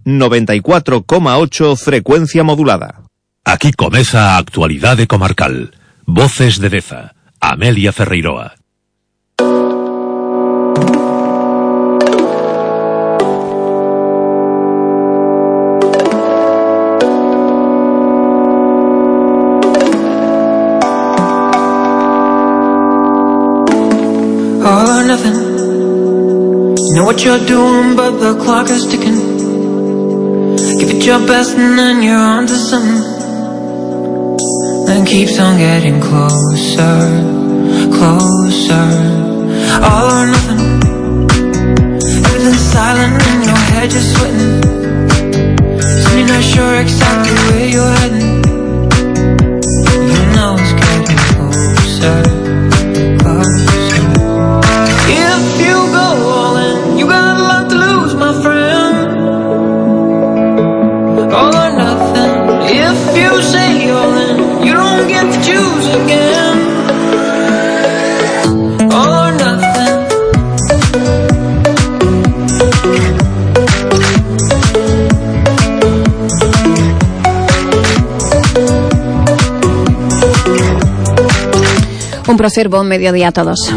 94,8 frecuencia modulada. Aquí comeza a actualidade comarcal. Voces de Deza. Amelia Ferreiroa. All or nothing. You know what you're doing, but the clock is ticking. Give it your best and then you're on to something. Then keeps on getting closer, closer. All or nothing. Everything's silent and your head just sweating. Soon you're not sure exactly where you're heading. You know it's getting closer, closer. If you go all in, you got a lot to lose, my friend. All or nothing. If you say all in, you don't get to choose again. All or nothing. Un placer, buen mediodía a todos.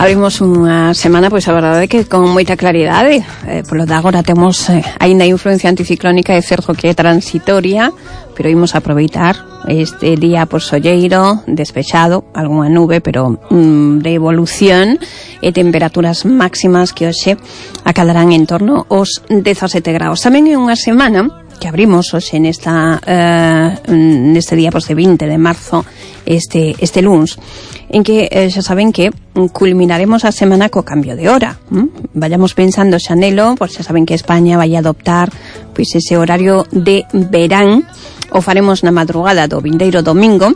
Abrimos unha semana, pois a verdade é que con moita claridade. Polo de agora temos aínda influencia anticiclónica, é certo que é transitoria, pero imos aproveitar este día por solleiro, despexado, algunha nube, pero de evolución, e temperaturas máximas que hoxe acadarán en torno aos 17 graus. Tamén é unha semana que abrimos hoxe neste día de 20 de marzo, este luns, en que xa saben que culminaremos a semana co cambio de hora. Vayamos pensando xa nelo, pois xa saben que España vai adoptar pois ese horario de verán. O faremos na madrugada do vindeiro domingo,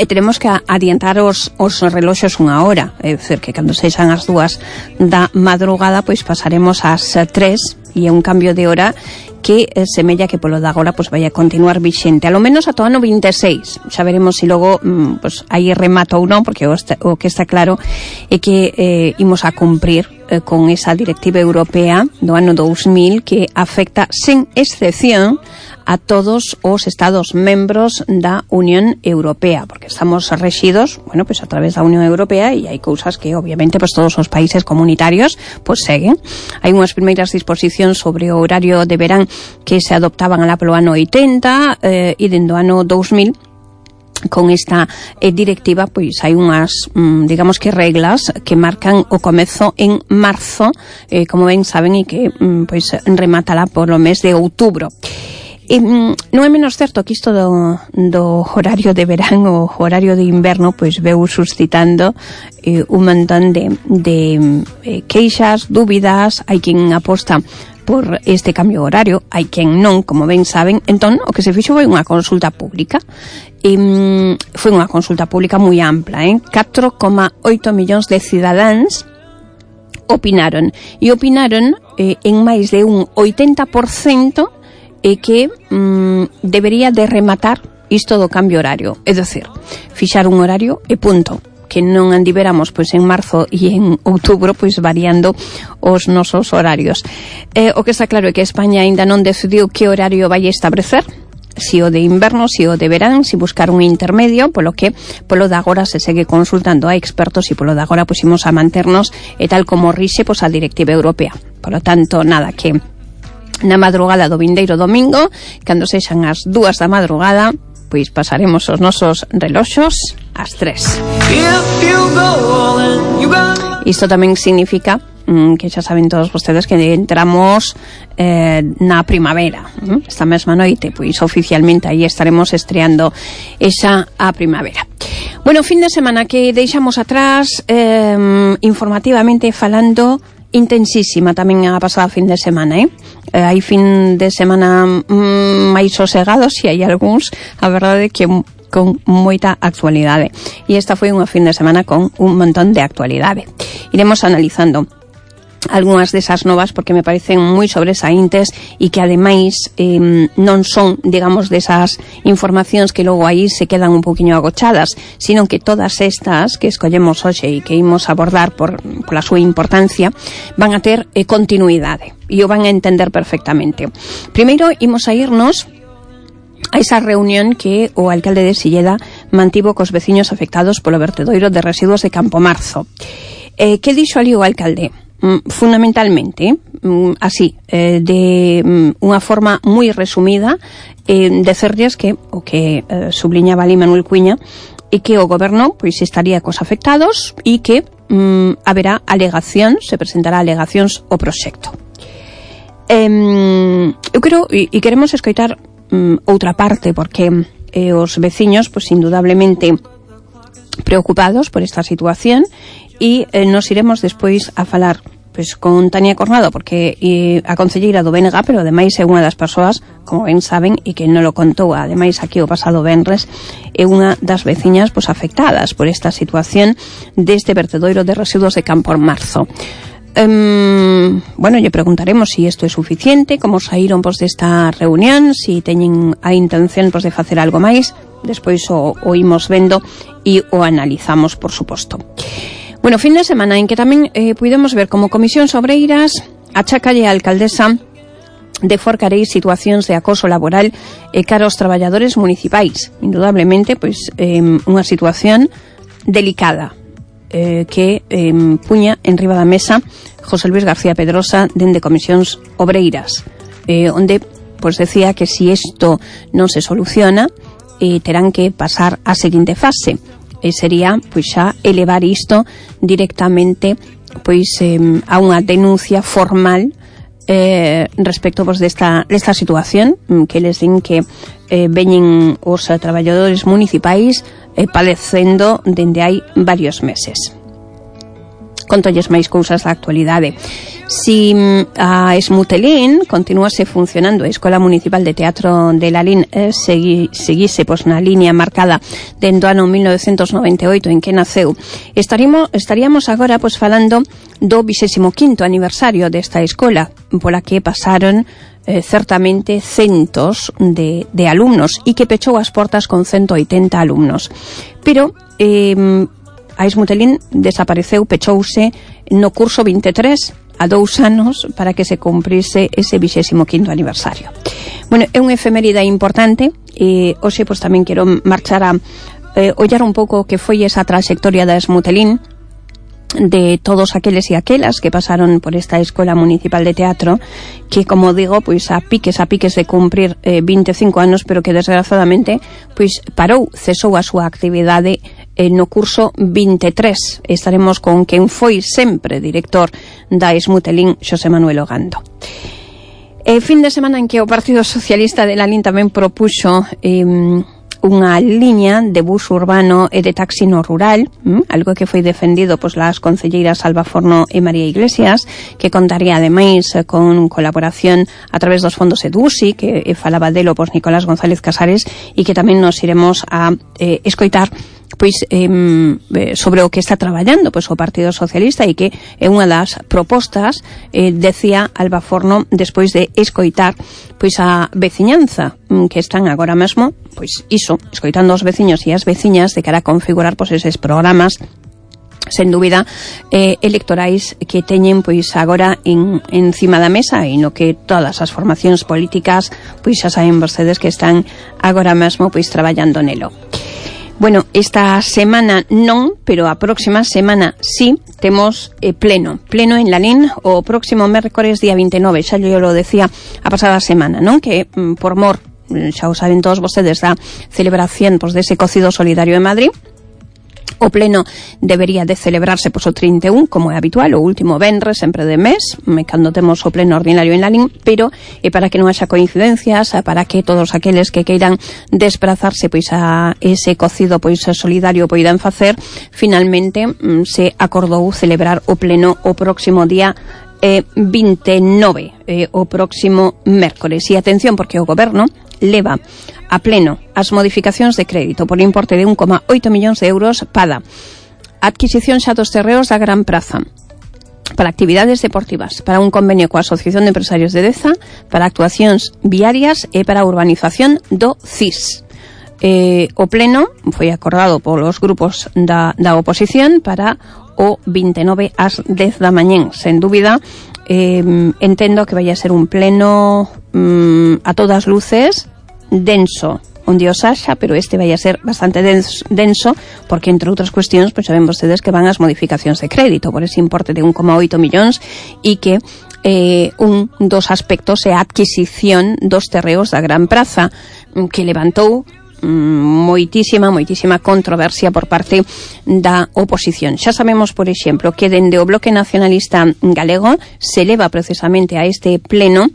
e teremos que adiantar os reloxos unha hora, é dicir, que cando sexan as 2 da madrugada, pois pasaremos ás 3, e é un cambio de hora que semella que polo de agora pois vai a continuar vixente, a lo menos ata o ano 26. Xa veremos se logo pois aí remata ou non, porque o que está claro é que imos a cumprir con esa directiva europea do ano 2000 que afecta sen excepción a todos os estados membros da Unión Europea, porque estamos rexidos, bueno, pues a través da Unión Europea, e hai cousas que obviamente pues todos os países comunitarios pues seguen. Hai unhas primeiras disposicións sobre o horario de verán que se adoptaban alá polo ano 80 e dentro do ano 2000 con esta directiva, pois hai unhas, digamos que reglas que marcan o comezo en marzo, como ben saben, e que pois rematará por o mes de outubro. Non é menos certo que isto do horario de verán ou horario de inverno pois veu suscitando un montón de queixas, dúbidas. Hai quen aposta por este cambio horario, hai quen non, como ben saben. Entón, o que se fixo foi unha consulta pública. Foi unha consulta pública moi ampla, 4,8 millóns de cidadáns opinaron. E opinaron en máis de un 80% e que debería de rematar isto do cambio horario, é dicir, fixar un horario e punto, que non andivéramos pois en marzo e en outubro pois variando os nosos horarios. O que está claro é que España aínda non decidiu que horario vai establecer, si o de inverno, si o de verán, si buscar un intermedio, polo que polo de agora se segue consultando a expertos, e polo de agora pois imos a manternos e tal como rixe pois a directiva europea. Por lo tanto, nada, que na madrugada do vindeiro domingo, cando sexan as 2 da madrugada, pois pasaremos os nosos reloxos ás 3. Isto tamén significa que xa saben todos vostedes que entramos na primavera. Esta mesma noite, pois oficialmente aí estaremos estreando esa a primavera. Bueno, fin de semana que deixamos atrás, informativamente falando, intensísima tamén a pasada fin de semana, hai fin de semana máis sosegados, e hai algúns, a verdade, que con moita actualidade. E esta foi unha fin de semana con un montón de actualidade. Iremos analizando algunhas desas novas porque me parecen moi sobresaíntes e que ademais non son, digamos, desas informacións que logo aí se quedan un poquinho agochadas, sino que todas estas que escollemos hoxe e que imos abordar pola súa importancia van a ter continuidade e o van a entender perfectamente. Primeiro imos a irnos a esa reunión que o alcalde de Silleda mantivo cos veciños afectados polo vertedoiro de residuos de Campomarzo. Que dixo ali o alcalde? Fundamentalmente, así, de unha forma moi resumida, decerlles que o que subliñaba ali Manuel Cuiña e que o goberno pois estaría cos afectados e que haberá alegacións, se presentará alegacións ao proxecto. Eu quero e queremos escoitar outra parte porque os veciños pois indudablemente preocupados por esta situación e nos iremos despois a falar pois con Tania Cornado porque a concelleira do BNG, pero ademais é unha das persoas, como ben saben, e que non lo contou ademais aquí o pasado venres, é unha das veciñas pois afectadas por esta situación deste vertedoiro de residuos de Campomarzo. Bueno, lle preguntaremos si isto é suficiente, como saíron pois desta reunión, si teñen a intención pois de facer algo máis. Despois o imos vendo e o analizamos, por suposto. Bueno, fin de semana en que tamén puidemos ver como Comisións Obreiras achacalle a alcaldesa de Forcarei situacións de acoso laboral cara aos traballadores municipais. Indudablemente, pois, unha situación delicada que puña en riba da mesa José Luis García Pedrosa dende Comisións Obreiras, onde pois decía que si isto non se soluciona terán que pasar á seguinte fase, e sería pois xa elevar isto directamente pois a unha denuncia formal respecto pois desta situación que les din que veñen os traballadores municipais padecendo dende hai varios meses. Contolles máis cousas da actualidade. Si a Esmutelín continuase funcionando, a Escola Municipal de Teatro de Lalín seguise pois na liña marcada dentro do ano 1998 en que naceu, estaríamos agora pois falando do 25º aniversario desta escola, pola que pasaron certamente centos de alumnos e que pechou as portas con 180 alumnos. Pero a Esmutelín desapareceu, pechouse no curso 23 a 2 anos para que se cumprise ese 25º aniversario. Bueno, é unha efeméride importante e hoxe pois tamén quero marchar a ollar un pouco que foi esa trayectoria da Esmutelín, de todos aqueles e aquelas que pasaron por esta Escola Municipal de Teatro, que, como digo, pois a piques de cumprir 25 anos, pero que desgraciadamente pois cesou a súa actividade no curso 23. Estaremos con quen foi sempre director da Esmutelín, Xosé Manuel Ogando. Fin de semana en que o Partido Socialista de Lalín tamén propuxo unha liña de bus urbano e de taxi no rural, algo que foi defendido pois las concelleiras Alba Forno e María Iglesias, que contaría ademais con colaboración a través dos fondos EDUSI, que falaba delo pois Nicolás González Casares, e que tamén nos iremos a escoitar pois sobre o que está traballando pois o Partido Socialista, e que é unha das propostas, decía Alba Forno, despois de escoitar pois a veciñanza que están agora mesmo pois iso, escoitando os veciños e as veciñas de cara a configurar pois eses programas sen dúbida electorais que teñen pois agora encima da mesa, e no que todas as formacións políticas pois xa saben vostedes que están agora mesmo pois traballando nelo. Bueno, esta semana non, pero a próxima semana sí, temos pleno en Lalín o próximo mércores día 29, xa yo lo decía a pasada semana, non? Que por mor, xa o saben todos vostedes, da celebración pois dese cocido solidario en Madrid. O pleno debería de celebrarse pois o 31, como é habitual, o último venres sempre de mes, cando temos o pleno ordinario en Lalín, pero para que non haxa coincidencias, para que todos aqueles que queiran desplazarse pois a ese cocido pois solidario poidan facer, finalmente se acordou celebrar o pleno o próximo día 29, o próximo mércores. E atención, porque o goberno leva a pleno as modificacións de crédito por importe de 1,8 millóns de euros para a adquisición xa dos terreos da Gran Praza, para actividades deportivas, para un convenio coa Asociación de Empresarios de Deza, para actuacións viarias e para a urbanización do CIS. O pleno foi acordado polos grupos da oposición para o 29 ás 10 da mañén. Sen dúbida, entendo que vai a ser un pleno a todas luces denso, onde os haxa, pero este vai a ser bastante denso porque, entre outras cuestións, pois saben vostedes que van as modificacións de crédito por ese importe de 1,8 millóns e que un dos aspectos é a adquisición dos terreos da Gran Praza, que levantou moitísima controversia por parte da oposición. Xa sabemos, por exemplo, que dende o Bloque Nacionalista Galego se leva precisamente a este pleno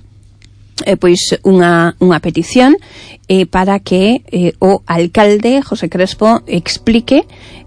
pois unha petición para que o alcalde José Crespo explique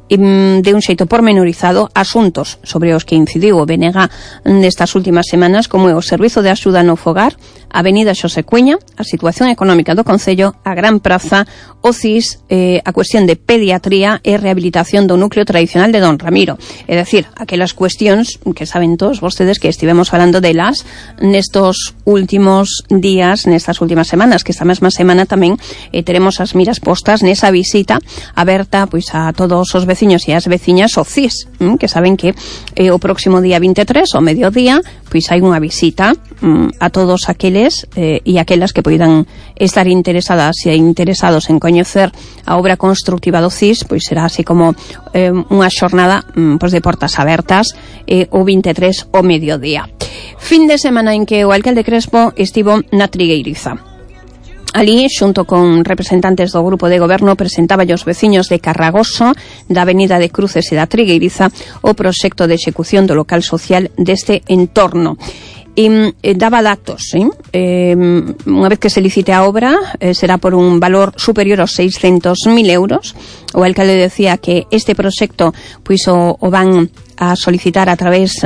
de un xeito pormenorizado asuntos sobre os que incidiu o BNG nestas últimas semanas, como é o Servizo de Axuda no Fogar, a Avenida Xosé Cueña, a situación económica do Concello, a Gran Praza, o CIS, a cuestión de pediatría e rehabilitación do núcleo tradicional de Don Ramiro. É dicir, aquelas cuestións que saben todos vostedes que estivemos falando delas nestos últimos días, nestas últimas semanas, que esta mesma semana tamén teremos as miras postas nesa visita aberta pois a todos os veciños e as veciñas ao CIS, que saben que o próximo día 23, ao mediodía, pois hai unha visita a todos aqueles e aquelas que poidan estar interesadas e interesados en coñecer a obra constructiva do CIS, pois será así como unha xornada pois de portas abertas o 23 ao mediodía. Fin de semana en que o alcalde Crespo estivo na Trigueiriza. Ali, xunto con representantes do grupo de goberno, presentaba aos veciños de Carragoso, da Avenida de Cruces e da Trigueiriza, o proxecto de execución do local social deste entorno. Daba datos, unha vez que se licite a obra será por un valor superior aos 600.000 euros. O alcalde decía que este proxecto pois o van a solicitar a través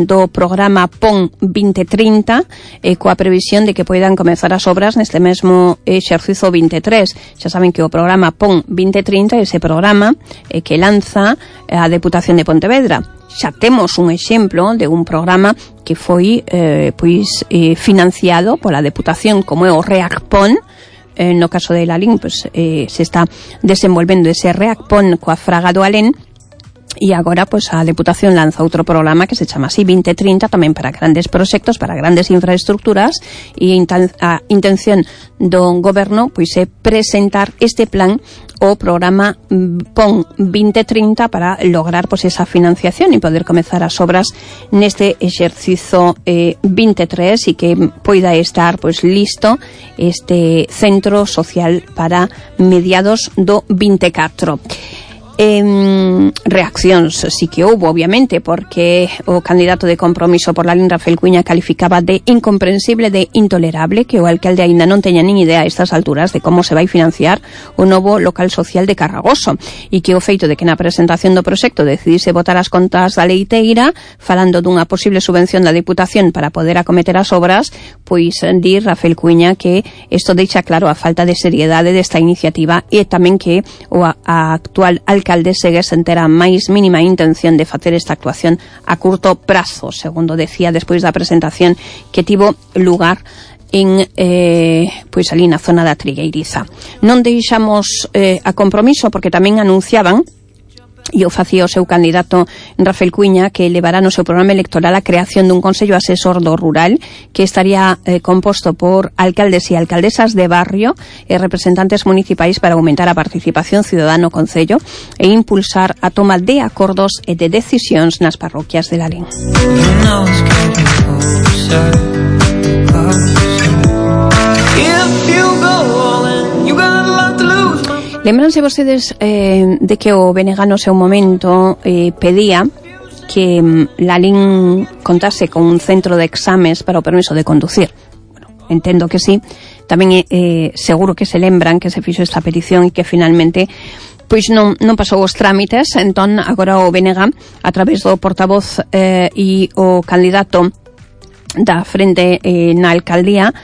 do programa PON 2030 coa previsión de que poidan comezar as obras neste mesmo exercizo 23. Xa saben que o programa PON 2030 é ese programa que lanza a Deputación de Pontevedra. Xa temos un exemplo de un programa que foi financiado pola Deputación, como é o REACPON. No caso de Lalín, se está desenvolvendo ese REACPON coa Fraga do Alén, e agora a Deputación lanza outro programa que se chama así 2030, tamén para grandes proxectos, para grandes infraestructuras, e a intención do goberno é presentar este plan, o programa PON 2030, para lograr esa financiación e poder comezar as obras neste exercizo 23 e que poida estar listo este centro social para mediados do 24. Reaccións sí que houbo, obviamente, porque o candidato de Compromiso por Lalín, Rafael Cuña, calificaba de incomprensible, de intolerable que o alcalde aínda non teña nin idea a estas alturas de como se vai financiar o novo local social de Carragoso, e que o feito de que na presentación do proxecto decidise botar as contas da leiteira falando dunha posible subvención da Deputación para poder acometer as obras, pois di Rafael Cuña que isto deixa claro a falta de seriedade desta iniciativa, e tamén que o actual alcalde segue sen ter a máis mínima intención de facer esta actuación a curto prazo, segundo decía despois da presentación que tivo lugar en ali na zona da Trigueiriza. Non deixamos a Compromiso, porque tamén anunciaban, e o facía o seu candidato Rafael Cuña, que levará no seu programa electoral a creación dun Consello Asesor do Rural que estaría composto por alcaldes e alcaldesas de barrio e representantes municipais para aumentar a participación cidadana no Concello e impulsar a toma de acordos e de decisións nas parroquias de Lalín. Lembranse vostedes de que o BNG no seu momento pedía que Lalín contase con un centro de exames para o permiso de conducir. Bueno, entendo que sí. Tamén seguro que se lembran que se fixo esta petición e que finalmente pois non pasou os trámites. Entón, agora o BNG, a través do portavoz e o candidato da frente na alcaldía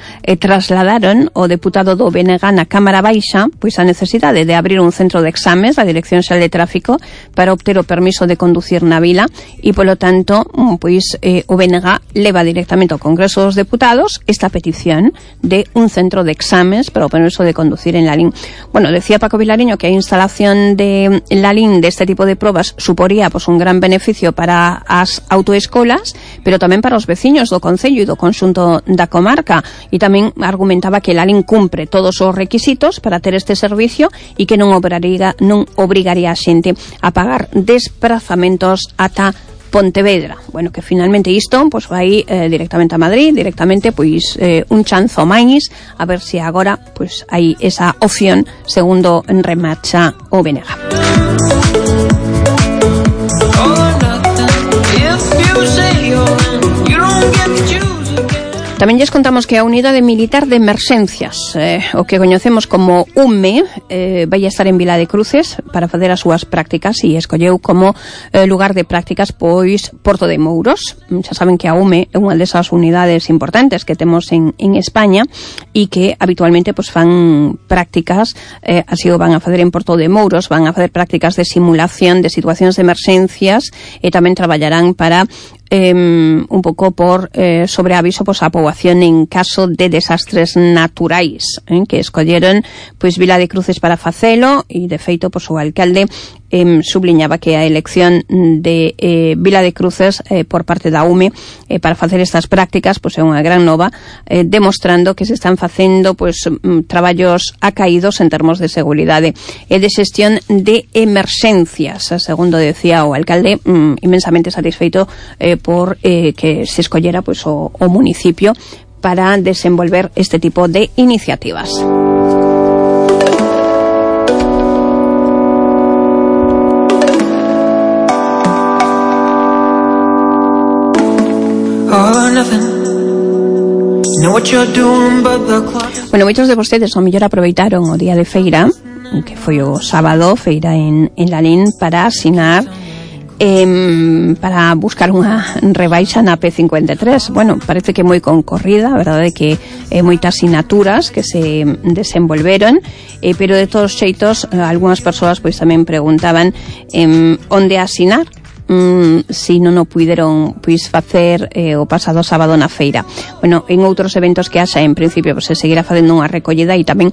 trasladaron o deputado do BNG na Cámara Baixa pois a necesidade de abrir un centro de exames da Dirección Xeral de Tráfico para obter o permiso de conducir na vila e polo tanto pois o BNG leva directamente ao Congreso dos Deputados esta petición de un centro de exames para o permiso de conducir en Lalín. Bueno, decía Paco Vilariño que a instalación de Lalín deste tipo de probas suporía pois un gran beneficio para as autoescolas, pero tamén para os veciños do Concello e do conxunto da comarca, e tamén argumentaba que Lalín cumpre todos os requisitos para ter este servicio e que non obrigaría a xente a pagar desplazamentos ata Pontevedra. Bueno, que finalmente isto pois vai directamente a Madrid, directamente pois un chanzo máis, a ver se agora pois hai esa opción segundo remarcha o BNG. Tamén lles contamos que a Unidade Militar de Emerxencias, o que coñecemos como UME, vai a estar en Vila de Cruces para facer as súas prácticas e escolleu como lugar de prácticas pois Porto de Mouros. Xa saben que a UME é unha desas unidades importantes que temos en España e que habitualmente pois fan prácticas, así o van a facer en Porto de Mouros, van a facer prácticas de simulación de situacións de emerxencias e tamén traballarán para un pouco por sobreaviso pois a poboación en caso de desastres naturais, que escolleron pois Vila de Cruces para facelo e de feito pois o alcalde subliñaba que a elección de Vila de Cruces por parte da UME para facer estas prácticas pois é unha gran nova, demostrando que se están facendo pois traballos acaídos en termos de seguridade e de xestión de emerxencias, segundo decía o alcalde, inmensamente satisfeito por que se escollera pois o municipio para desenvolver este tipo de iniciativas. Bueno, moitos de vostedes ao mellor aproveitaron o día de feira, que foi o sábado, feira en Lalín, para asinar para buscar unha rebaixa na P53. Bueno, parece que moi concorrida, a verdade é que moitas sinaturas que se desenvolveron, pero de todos xeitos algunhas persoas pois tamén preguntaban onde asinar si non o puideron pois facer o pasado sábado na feira. Bueno, en outros eventos que haxa, en principio pois se seguirá facendo unha recollida e tamén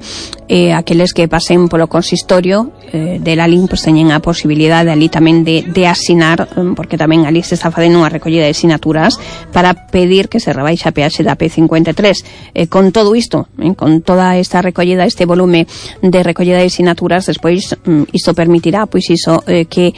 aqueles que pasen polo consistorio de Lalín pois teñen a posibilidade ali tamén de asinar, porque tamén ali se está facendo unha recollida de sinaturas para pedir que se rebaixe a peaxe da P53. Con todo isto, con toda esta recollida, este volume de recollida de sinaturas, despois isto permitirá pois iso que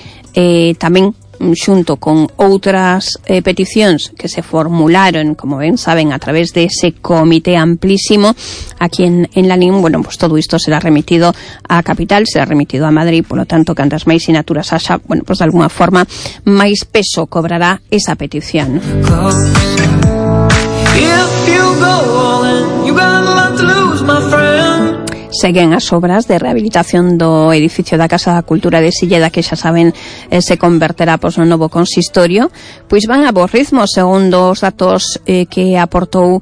tamén xunto con outras peticións que se formularon, como ben saben, a través de ese comité amplísimo aquí en Lalín, bueno, pues todo isto será remitido á capital, será remitido a Madrid, polo tanto, cantas máis sinaturas haxa, bueno, pues de alguna forma máis peso cobrará esa petición. Seguen as obras de rehabilitación do edificio da Casa da Cultura de Silleda, que xa saben se converterá pois no novo consistorio, pois van a bo ritmo, segundo os datos que aportou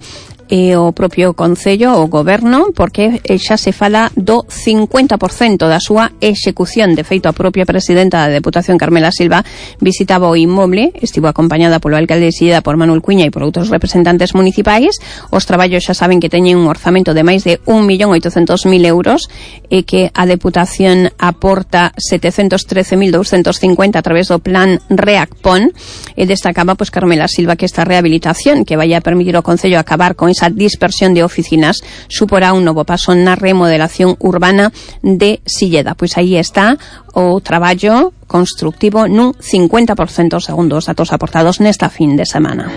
o propio Concello, o Goberno, porque xa se fala do 50% da súa execución. De feito, a propia presidenta da Deputación, Carmela Silva, visitaba o inmoble, estivo acompañada polo alcalde de Silleda, por Manuel Cuña, e por outros representantes municipais. Os traballos xa saben que teñen un orzamento de máis de 1.800.000 euros e que a Deputación aporta 713.250 a través do plan REACPON, e destacaba pois Carmela Silva que esta rehabilitación que vai a permitir ao Concello acabar con esa dispersión de oficinas suporá un novo paso na remodelación urbana de Silleda. Pois aí está o traballo constructivo nun 50%, segundo os datos aportados nesta fin de semana.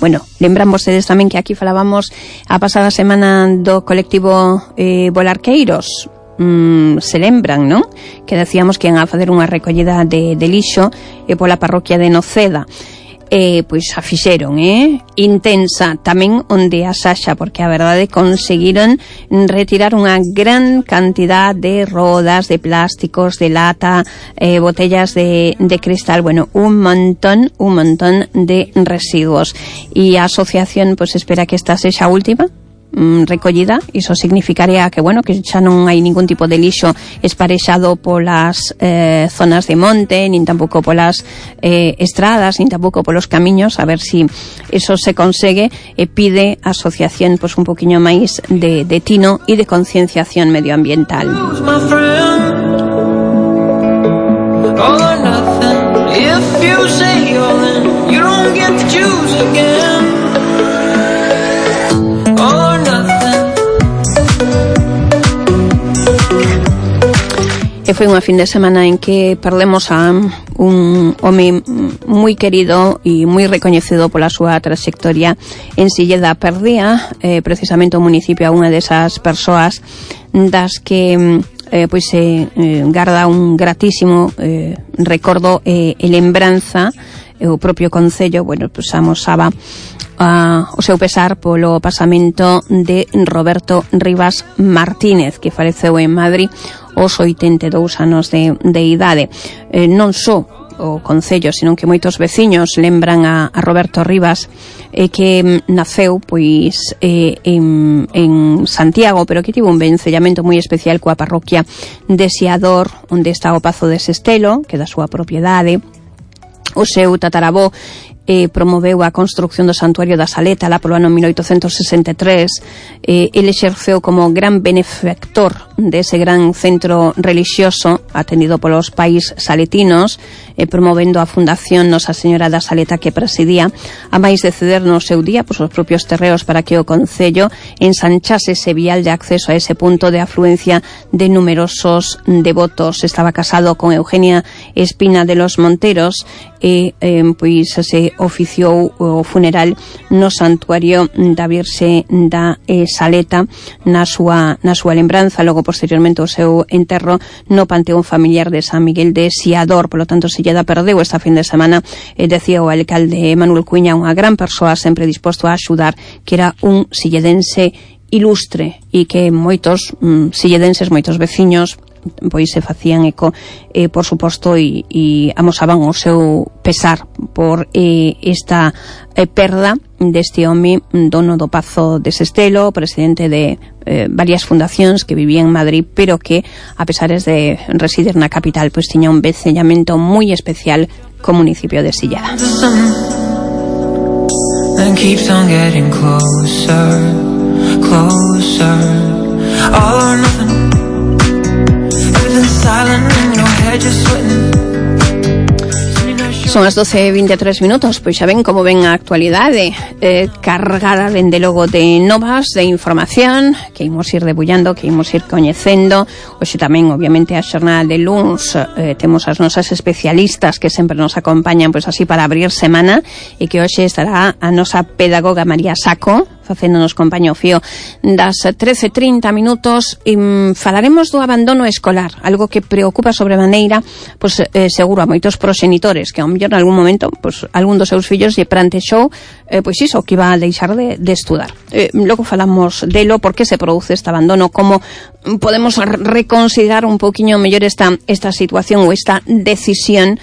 Bueno, lembran vostedes tamén que aquí falábamos a pasada semana do colectivo Volarqueiros. Se lembran, non? Que decíamos que iban a facer unha recollida de lixo pola parroquia de Noceda. pois a fixeron, intensa tamén onde a Saxa, porque a verdade conseguiron retirar unha gran cantidad de rodas, de plásticos, de lata, botellas de cristal, bueno, un montón de residuos. E a asociación pois espera que esta sexa a última recollida. Iso significaría que, bueno, que xa non hai ningún tipo de lixo esparexado polas zonas de monte, nin tampouco polas estradas, nin tampouco polos camiños. A ver si eso se consegue. Pide a asociación pois un poquinho máis de tino e de concienciación medioambiental. E foi unha fin de semana en que perdemos a un home moi querido e moi recoñecido pola súa trayectoria en Silleda. Perdía precisamente o municipio a unha desas persoas das que pois garda un gratísimo recordo e lembranza. O propio Concello, bueno, pois amosaba o seu pesar polo pasamento de Roberto Rivas Martínez, que faleceu en Madrid aos 82 anos de idade. Non só o Concello, senón que moitos veciños lembran a Roberto Rivas, que naceu pois en Santiago, pero que tivo un vencellamento moi especial coa parroquia de Seador, onde está o Pazo de Sestelo, que é da súa propiedade. O seu tataravó promoveu a construcción do Santuario da Saleta lá polo ano 1863. Ele exerceu como gran benefactor dese gran centro religioso atendido polos pais saletinos, promovendo a Fundación Nosa Señora da Saleta que presidía, a máis de ceder no seu día pois os propios terreos para que o Concello ensanchase ese vial de acceso a ese punto de afluencia de numerosos devotos. Estaba casado con Eugenia Espina de los Monteros e pois se oficiou o funeral no Santuario da Virxe da Saleta na súa lembranza. Logo posteriormente o seu enterro no Panteón Familiar de San Miguel de Seador. Por lo tanto, Silleda perdeu esta fin de semana, decía o alcalde Manuel Cuña, unha gran persoa sempre disposto a axudar, que era un silledense ilustre e que moitos silledenses, moitos veciños pois se facían eco, por suposto, e amosaban o seu pesar por esta perda deste home, dono do Pazo de Sestelo, presidente de varias fundacións, que vivía en Madrid, pero que, a pesares de residir na capital, pois tiña un vencellamento moi especial co municipio de Silleda. And keeps on getting closer, closer, all or nothing. Son as 12:23 minutos, pois xa ven como ven a actualidade, cargada dende logo de novas, de información, que imos ir debullando, que imos ir coñecendo. Hoxe tamén, obviamente, a xornada de luns, temos as nosas especialistas que sempre nos acompañan, pois así para abrir semana, e que hoxe estará a nosa pedagoga María Saco, facéndonos compañía ao fío das 13:30 minutos. Falaremos do abandono escolar, algo que preocupa sobremaneira, pois seguro a moitos proxenitores, que ao mellor en algún momento pois algún dos seus fillos lle plantexou pois iso, que iba a deixar de estudar. Logo falamos delo, por que se produce este abandono, como podemos reconsiderar un poquinho mellor esta situación ou esta decisión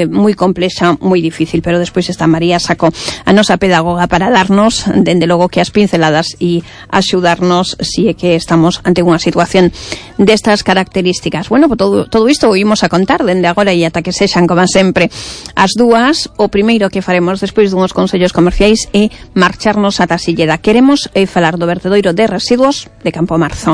moi complexa, moi difícil. Pero despois está María Saco, a nosa pedagoga, para darnos, dende logo, que as pinceladas e axudarnos si é que estamos ante unha situación destas características. Bueno, pues todo isto o imos a contar dende agora e ata que sexan, como sempre, as dúas. O primeiro que faremos despois dunhos consellos comerciais é marcharnos ata Silleda. Queremos falar do vertedoiro de residuos de Campo Marzo.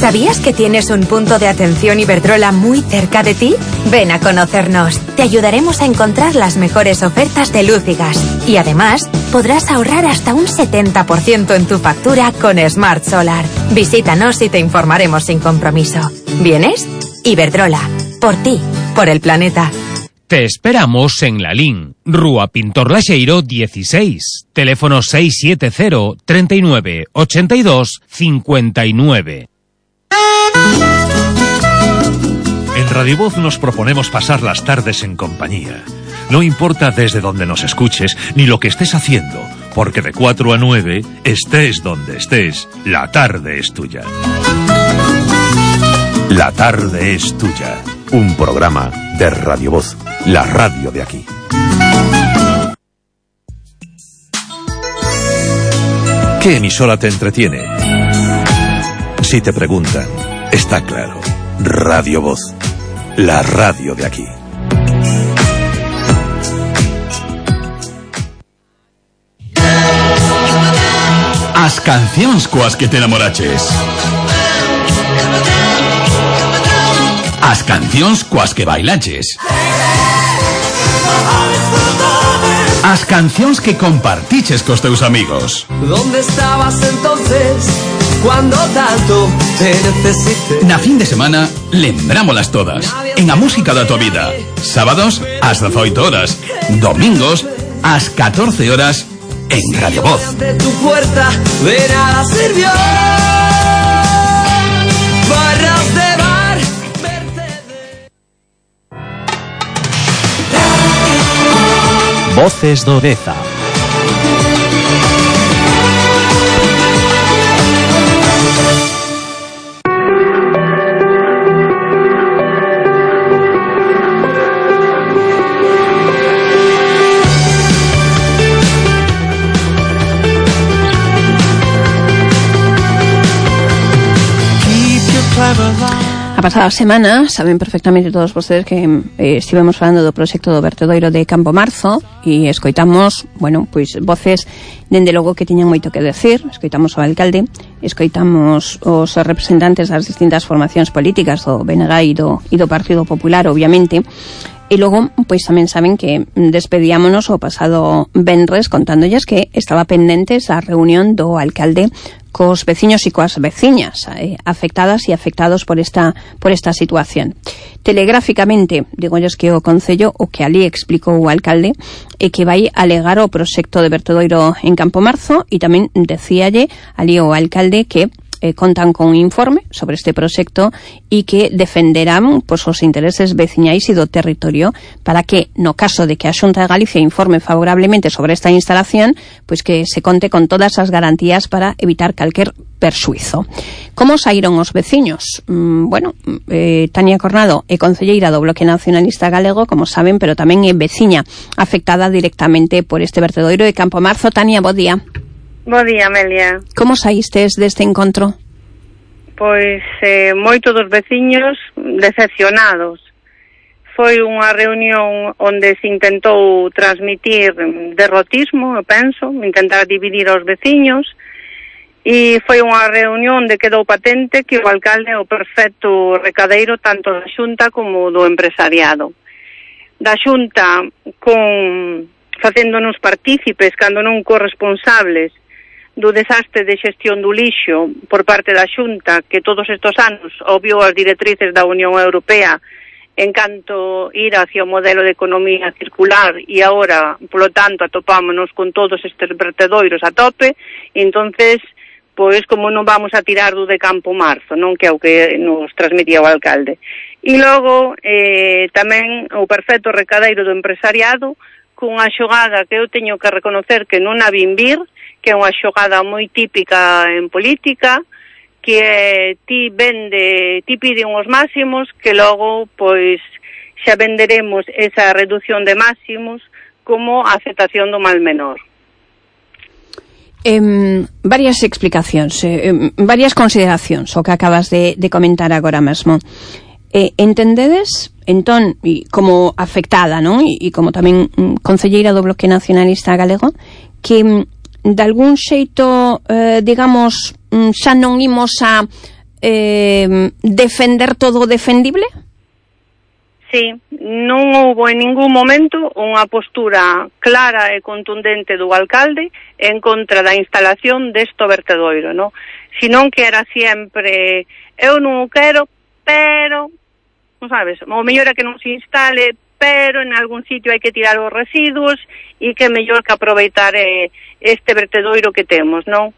¿Sabías que tienes un punto de atención Iberdrola muy cerca de ti? Ven a conocernos. Te ayudaremos a encontrar las mejores ofertas de luz y gas. Y además, podrás ahorrar hasta un 70% en tu factura con Smart Solar. Visítanos y te informaremos sin compromiso. ¿Vienes? Iberdrola. Por ti, por el planeta. Te esperamos en Lalín, Rúa Pintor Laxeiro 16, teléfono 670 39 82 59. En Radio Voz nos proponemos pasar las tardes en compañía. No importa desde donde nos escuches ni lo que estés haciendo, porque de 4 a 9, estés donde estés, la tarde es tuya. La tarde es tuya. Un programa de Radio Voz, la radio de aquí. ¿Qué emisora te entretiene? Si te preguntan, está claro. Radio Voz, la radio de aquí. As cancións coas que te namoraches. As cancións coas que bailaches. As cancións que compartiches cos teus amigos. ¿Dónde estabas entonces cuando tanto te necesité? Na fin de semana, lembrámolas todas. En a música da tua vida. Sábados, ás 18 horas. Domingos, ás 14 horas, en Radio Voz. Ante tu puerta de nada sirvió. Barras de bar, Voces do Deza. A pasada semana, saben perfectamente todos vostedes que estivemos falando do proxecto do vertedoiro de Campo Marzo e escoitamos, bueno, pois voces dende logo que tiñan moito que decir. Escoitamos o alcalde, escoitamos os representantes das distintas formacións políticas do BNG e do Partido Popular, obviamente. E logo, pois tamén saben que despedíamonos o pasado venres contándolles que estaba pendentes a reunión do alcalde cos veciños e coas veciñas afectadas e afectados por esta situación. Telegráficamente, digolles que o Concello, o que ali explicou o alcalde, é que vai alegar o proxecto de vertedoiro en Campo Marzo, e tamén decíalle ali o alcalde que contan con un informe sobre este proxecto e que defenderán pois, os intereses veciñais e do territorio para que, no caso de que a Xunta de Galicia informe favorablemente sobre esta instalación, pois que se conte con todas as garantías para evitar calquer perxuizo. Como saíron os veciños? Tania Cornado é concelleira do Bloque Nacionalista Galego, como saben, pero tamén é veciña afectada directamente por este vertedoiro de Campo Marzo. Tania, bo día. Bo día, Amelia. Como saístes deste encontro? Pois moito dos veciños decepcionados. Foi unha reunión onde se intentou transmitir derrotismo, eu penso, intentar dividir os veciños, e foi unha reunión onde quedou patente que o alcalde é o perfecto recadeiro tanto da Xunta como do empresariado. Da Xunta facéndonos partícipes, cando non corresponsables, do desastre de xestión do lixo por parte da Xunta, que todos estes anos obviou as directrices da Unión Europea en canto ir hacia o modelo de economía circular, e agora, polo tanto, atopámonos con todos estes vertedoiros a tope, e entonces, pois, como non vamos a tirar do de Campo Marzo, non, que é o que nos transmitía o alcalde. E logo, tamén o perfecto recadeiro do empresariado, cunha xogada que eu teño que reconocer que non a vin vir, que é unha xogada moi típica en política, que ti pide uns máximos que logo, pois, xa venderemos esa reducción de máximos como a aceptación do mal menor. Varias explicacións, varias consideracións, o que acabas de comentar agora mesmo. Entendedes, entón, e como afectada, non? E como tamén concelleira do Bloque Nacionalista Galego, que de algún xeito, digamos, xa non imos a defender todo o defendible? Sí, non houbo en ningún momento unha postura clara e contundente do alcalde en contra da instalación desto vertedoiro, non? Senón que era sempre, eu non o quero, pero non sabes, o mellor é que non se instale, pero en algún sitio hai que tirar os residuos e que é mellor que aproveitar este vertedoiro que temos, non?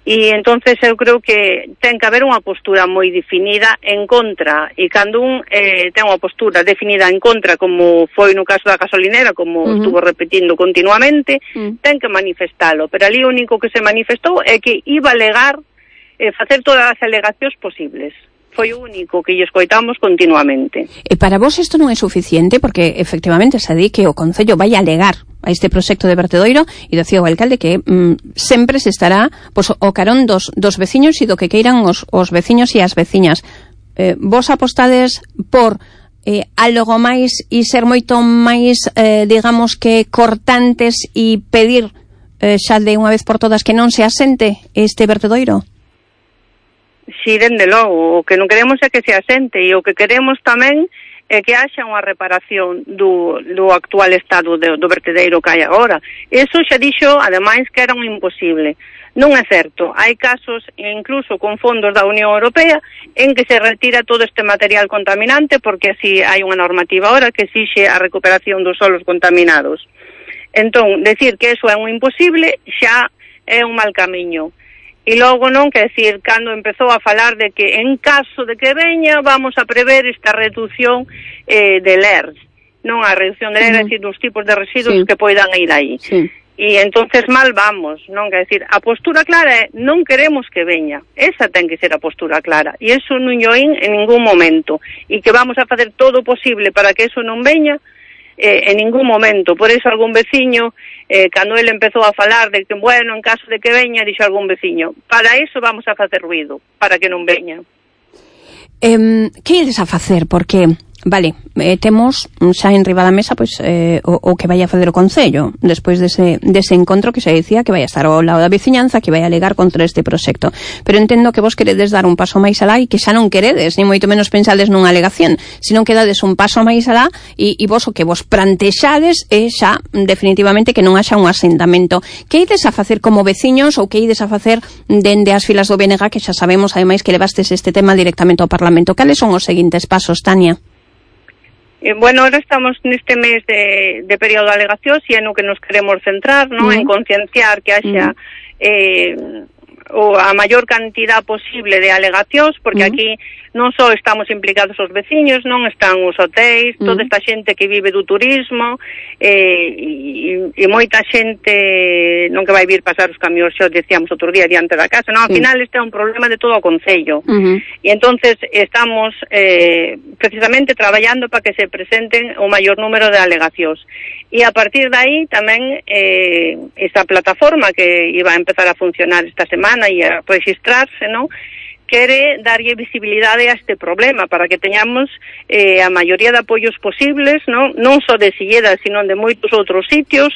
E entonces eu creo que ten que haber unha postura moi definida en contra, e cando un ten unha postura definida en contra, como foi no caso da gasolinera, como estuvo repetindo continuamente, ten que manifestalo, pero ali o único que se manifestou é que iba a alegar, facer todas as alegacións posibles. Foi o único que lle escoitamos continuamente. E para vos isto non é suficiente, porque efectivamente se di que o Concello vai alegar a este proxecto de vertedoiro, e decía o alcalde que sempre se estará o carón dos veciños e do que queiran os veciños e as veciñas. Vos apostades por algo máis e ser moito máis, digamos que cortantes e pedir xa de unha vez por todas que non se asente este vertedoiro? Si, dende logo, o que non queremos é que se asente, e o que queremos tamén é que haxa unha reparación do actual estado do vertedeiro que hai agora. Eso xa dixo, ademais, que era un imposible. Non é certo. Hai casos, incluso con fondos da Unión Europea, en que se retira todo este material contaminante, porque así hai unha normativa ahora que exixe a recuperación dos solos contaminados. Entón, decir que eso é un imposible xa é un mal camiño. E logo non, que decir, cando empezou a falar de que en caso de que veña vamos a prever esta reducción de LERS, non a reducción de LERS, é dicir, dos tipos de residuos que poidan ir aí. E entonces mal vamos, non, que decir, a postura clara é non queremos que veña, esa ten que ser a postura clara, e eso non o in en ningún momento, e que vamos a facer todo o posible para que eso non veña, en ningún momento. Por eso algún veciño, cando ele empezou a falar de que, bueno, en caso de que veña, dixo algún veciño, para eso vamos a facer ruido, para que non veña. Que ides a facer? Porque, vale, temos xa en riba da mesa pois o que vai a facer o Concello despois dese encontro que xa dicía que vai a estar ao lado da veciñanza, que vai a alegar contra este proxecto, pero entendo que vos queredes dar un paso máis alá e que xa non queredes, ni moito menos pensades nunha alegación, sino que dades un paso máis alá e vos o que vos plantexades é xa definitivamente que non haxa un asentamento. Que ides a facer como veciños ou que ides a facer dende as filas do BNG, que xa sabemos ademais que levastes este tema directamente ao Parlamento? Cales son os seguintes pasos, Tania? Bueno, ahora estamos neste mes de período de alegacións e é no que nos queremos centrar, ¿no? En concienciar que haxa a maior cantidad posible de alegacións, porque aquí non só estamos implicados os veciños, non están os hotéis, toda esta xente que vive do turismo, e moita xente non que vai vir pasar os camións, xa decíamos outro día, diante da casa, non, ao final este é un problema de todo o Concello, e entonces estamos precisamente traballando para que se presenten o maior número de alegacións, e a partir de aí tamén esta plataforma que iba a empezar a funcionar esta semana e a registrarse, non, quere darlle visibilidade a este problema para que teñamos a maioría de apoios posibles, non só de Silleda, sino de moitos outros sitios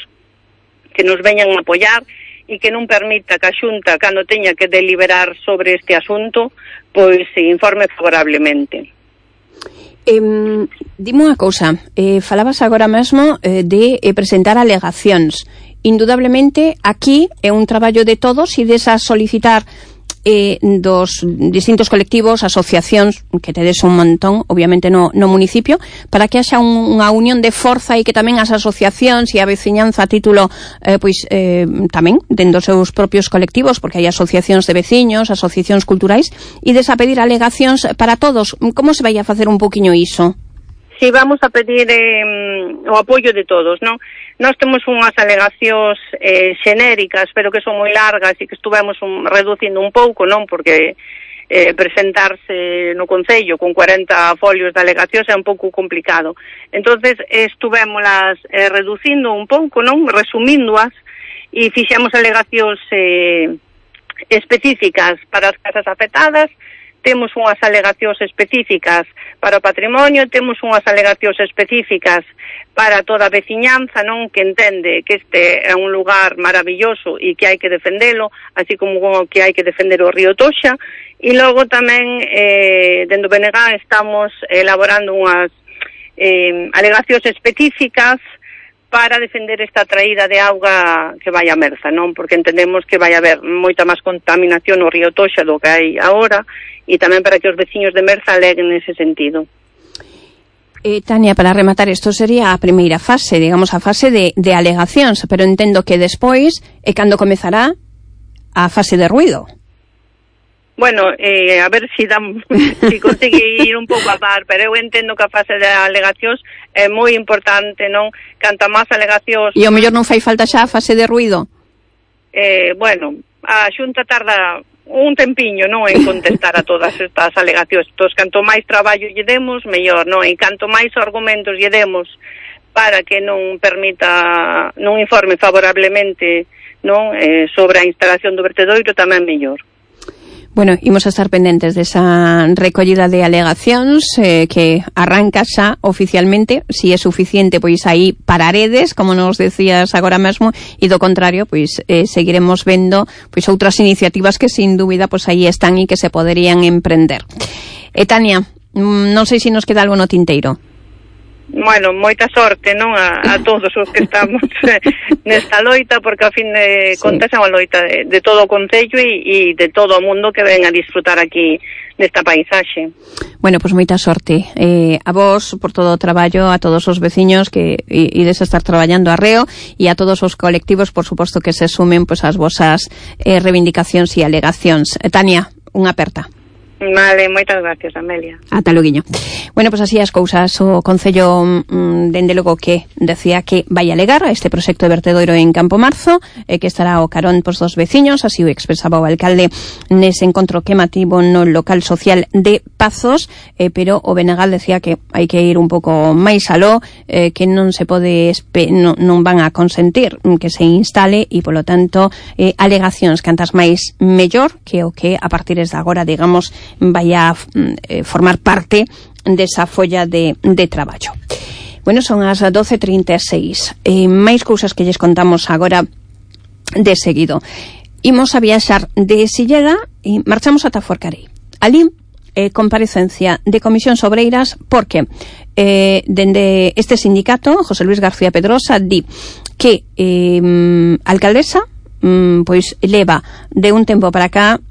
que nos veñan a apoiar e que non permita que a Xunta, cando teña que deliberar sobre este asunto, pois se informe favorablemente. Dime unha cousa, falabas agora mesmo de presentar alegacións. Indudablemente aquí é un traballo de todos e desas solicitar dos distintos colectivos, asociacións, que tedes un montón, obviamente no municipio, para que haxa unha unión de forza e que tamén as asociacións e a veciñanza a título, tamén, dentro dos seus propios colectivos, porque hai asociacións de veciños, asociacións culturais, e desa pedir alegacións para todos. Como se vai a facer un poquinho iso? Si, vamos a pedir o apoio de todos, non? Nós temos unhas alegacións xenéricas, pero que son moi largas e que estuvemos reducindo un pouco, non? Porque presentarse no Concello con 40 folios de alegacións é un pouco complicado. Entonces, estuvémolas reducindo un pouco, non? Resumíndoas, e fixemos alegacións específicas para as casas afectadas, temos unhas alegacións específicas para o patrimonio, temos unhas alegacións específicas para toda a veciñanza, non, que entende que este é un lugar maravilloso e que hai que defendelo, así como que hai que defender o río Toxa, e logo tamén dentro do BNG estamos elaborando unhas alegacións específicas para defender esta traída de auga que vai a Merza, non? Porque entendemos que vai haber moita máis contaminación no río Toxa do que hai agora, e tamén para que os veciños de Merza aleguen nese sentido. Tania, para rematar, isto sería a primeira fase, digamos, a fase de alegacións, pero entendo que despois é cando comezará a fase de ruido. Bueno, a ver si consigue ir un pouco a par, pero eu entendo que a fase de alegacións é moi importante, non? Canta máis alegacións... E ao mellor non fai falta xa a fase de ruido? Bueno, a Xunta tarda un tempiño, non, en contestar a todas estas alegacións. Entón, canto máis traballo lle demos, mellor, non? E canto máis argumentos lle demos para que non permita, non informe favorablemente, non, sobre a instalación do vertedoiro, tamén mellor. Bueno, imos a estar pendentes desa recollida de alegacións que arranca xa oficialmente. Si é suficiente, pois aí pararedes, como nos decías agora mesmo, e do contrario, pois seguiremos vendo pois outras iniciativas que sin dúbida pois aí están e que se poderían emprender. Tania, non sei se nos queda algo no tinteiro. Bueno, moita sorte, non, a todos os que estamos nesta loita, porque a fin de contas é unha loita de todo o concello e de todo o mundo que ven a disfrutar aquí desta paisaxe. Bueno, pois moita sorte a vos por todo o traballo, a todos os veciños que ides a estar traballando arreo e a todos os colectivos, por suposto, que se sumen pois ás vosas reivindicacións e alegacións. Tania, unha aperta. Vale, moitas gracias, Amelia. Ata loguiño. Bueno, pois así as cousas. O Concello, dende logo que decía que vai alegar a este proxecto de vertedoiro en Campo Marzo, que estará ao carón pois dos veciños, así o expresaba o alcalde nese encontro que mativo no local social de Pazos, pero o Benegal decía que hai que ir un pouco máis aló, que non se pode non van a consentir que se instale e, polo tanto, alegacións cantas máis mellor que o que a partir de agora, digamos, vai a formar parte desa folla de traballo. Bueno, son as 12:36. Máis cousas que lles contamos agora de seguido. Imos a viaxar de Silleda e marchamos ata Forcarei. Ali, comparecencia de comisións obreiras, porque dende este sindicato, José Luis García Pedrosa, di que a alcaldesa pois leva de un tempo para cá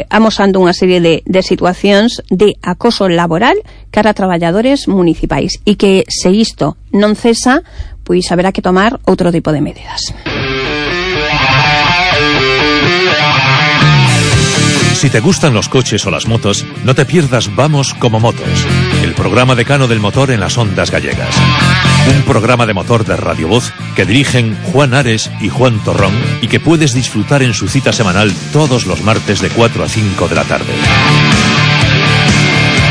amosando unha serie de situacións de acoso laboral cara a traballadores municipais e que se isto non cesa, pois haberá que tomar outro tipo de medidas. Si te gustan los coches o las motos, no te pierdas Vamos como Motos, el programa decano del motor en las ondas gallegas. Un programa de motor de Radio Voz que dirigen Juan Ares y Juan Torrón y que puedes disfrutar en su cita semanal todos los martes de 4 a 5 de la tarde.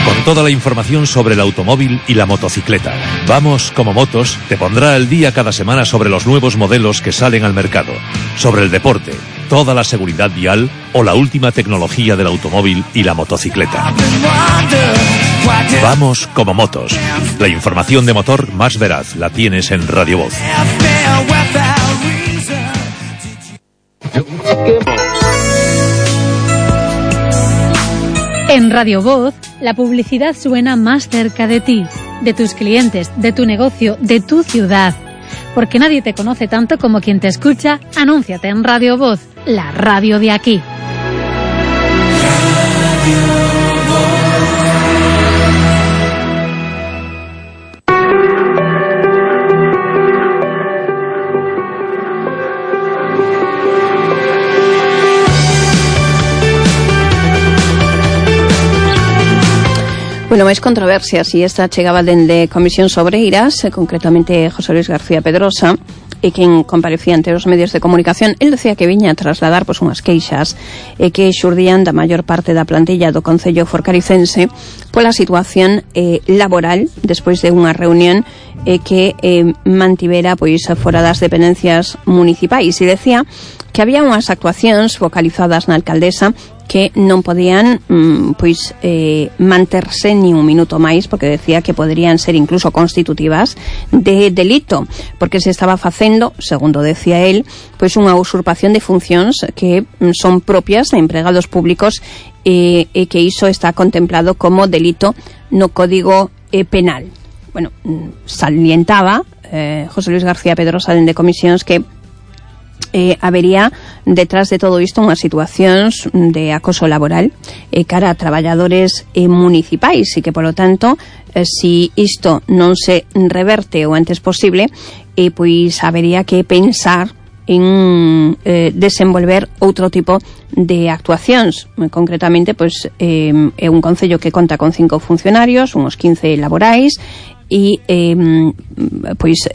Con toda la información sobre el automóvil y la motocicleta. Vamos como Motos te pondrá al día cada semana sobre los nuevos modelos que salen al mercado, sobre el deporte, toda la seguridad vial o la última tecnología del automóvil y la motocicleta. Vamos como Motos. La información de motor más veraz la tienes en Radio Voz. En Radio Voz, la publicidad suena más cerca de ti, de tus clientes, de tu negocio, de tu ciudad. Porque nadie te conoce tanto como quien te escucha. Anúnciate en Radio Voz, la radio de aquí. Bueno, máis controversias, e esta chegaba dende comisións obreiras, concretamente José Luis García Pedrosa, e quen comparecía ante os medios de comunicación. El decía que viña a trasladar pois unhas queixas que xurdían da maior parte da plantilla do Concello forcaricense pola situación laboral despois de unha reunión que mantivera pois fora das dependencias municipais, e decía que había unhas actuacións focalizadas na alcaldesa que non podían pois manterse ni un minuto máis, porque decía que poderían ser incluso constitutivas de delito, porque se estaba facendo, segundo decía él, pois unha usurpación de funcións que son propias de empregados públicos e que iso está contemplado como delito no Código Penal. Bueno, salientaba José Luis García Pedrosa dende comisións que habería detrás de todo isto unhas situacións de acoso laboral cara a traballadores municipais e que, polo tanto, si isto non se reverte o antes posible, pois habería que pensar en desenvolver outro tipo de actuacións. Concretamente, pois é un concello que conta con 5 funcionarios, uns 15 laborais, e pois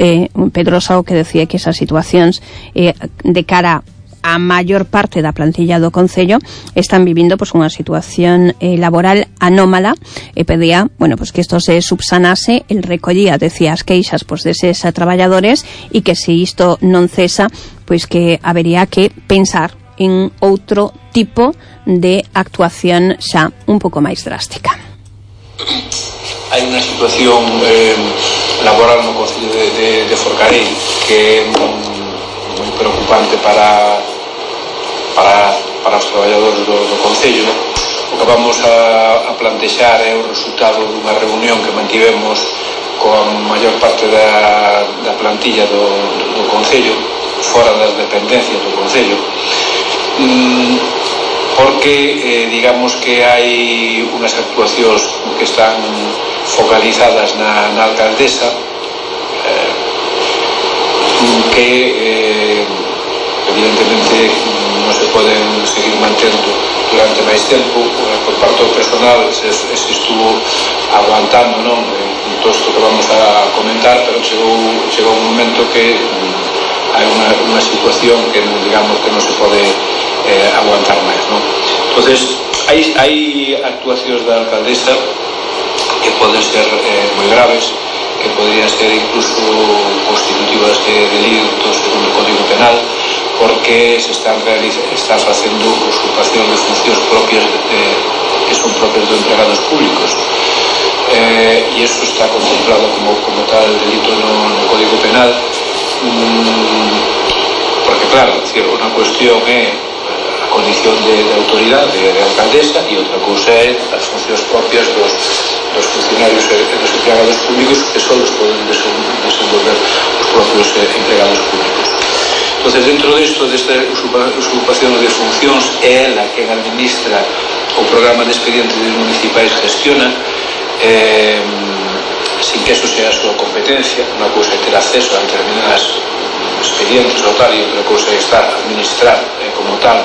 Pedrosa o que decía que esas situacións de cara a maior parte da plantilla do concello están vivindo pois unha situación laboral anómala e pedía, bueno, pois que isto se subsanase. El recollía, decía, as queixas pois deses traballadores e que se isto non cesa, pois que habería que pensar en outro tipo de actuación xa un pouco máis drástica. Hai unha situación laboral no concello de Forcarei que é moi preocupante para os traballadores do concello. O que vamos a plantexar é o resultado dunha reunión que mantivemos coa maior parte da plantilla do concello, fora das dependencias do concello, porque digamos que hai unhas actuacións que están focalizadas na alcaldesa que evidentemente non se poden seguir mantendo durante máis tempo. Por parte do personal se estuvo aguantando, non, todo isto que vamos a comentar, pero chegou un momento que hai unha situación que digamos que non se pode aguantar máis, non? Entonces hai actuacións da alcaldesa que poden ser moi graves, que podrían ser incluso constitutivas de delitos según o Código Penal, porque se están facendo usurpación de funcións propias que son propias de empregados públicos, e iso está contemplado como tal delito no Código Penal, porque claro, unha cuestión é a condición de autoridade de alcaldesa e outra cousa é as funcións propias dos funcionarios e dos empregados públicos, que só os poden desenvolver os propios empregados públicos. Entonces, dentro desta usurpación de funcións, é ela quen administra o programa de expedientes municipais, gestiona, sin que eso sea a súa competencia. Unha cousa é ter acceso a determinadas expedientes ou tal, e outra cousa é estar a administrar como tal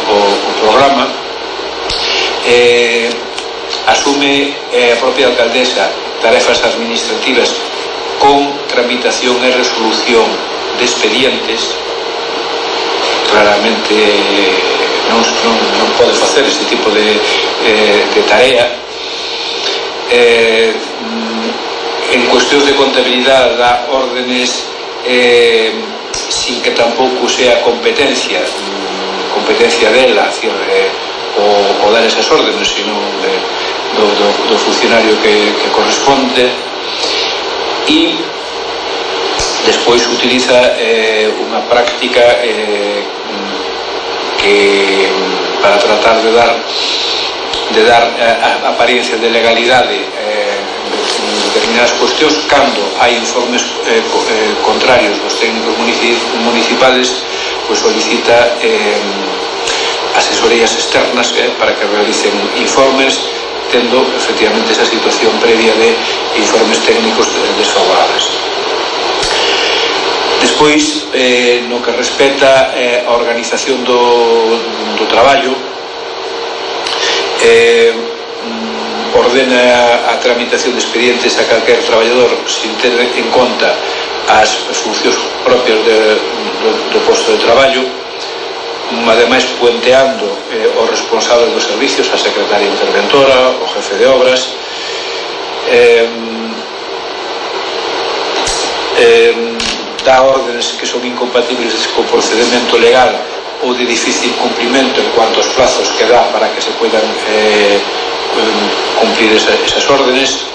o programa. Asume a propia alcaldesa tarefas administrativas con tramitación e resolución de expedientes. Claramente non pode facer ese tipo de tarea. En cuestións de contabilidade dá órdenes sin que tampouco sea competencia dela, o dar esas órdenes, sino do funcionario que corresponde, e despois utiliza unha práctica que para tratar de dar apariencia de legalidade en determinadas cuestións, cando hai informes contrarios dos técnicos municipales, pois solicita asesorías externas para que realicen informes, tendo efectivamente esa situación previa de informes técnicos desfavorables. Despois, no que respecta a organización do traballo, ordena a tramitación de expedientes a calquer traballador sin ter en conta as funcións propias do posto de traballo, ademais puenteando os responsables dos servicios, a secretaria interventora, o jefe de obras, dá órdenes que son incompatibles co procedimento legal ou de difícil cumprimento en cuanto aos plazos que dá para que se puedan cumplir esas órdenes.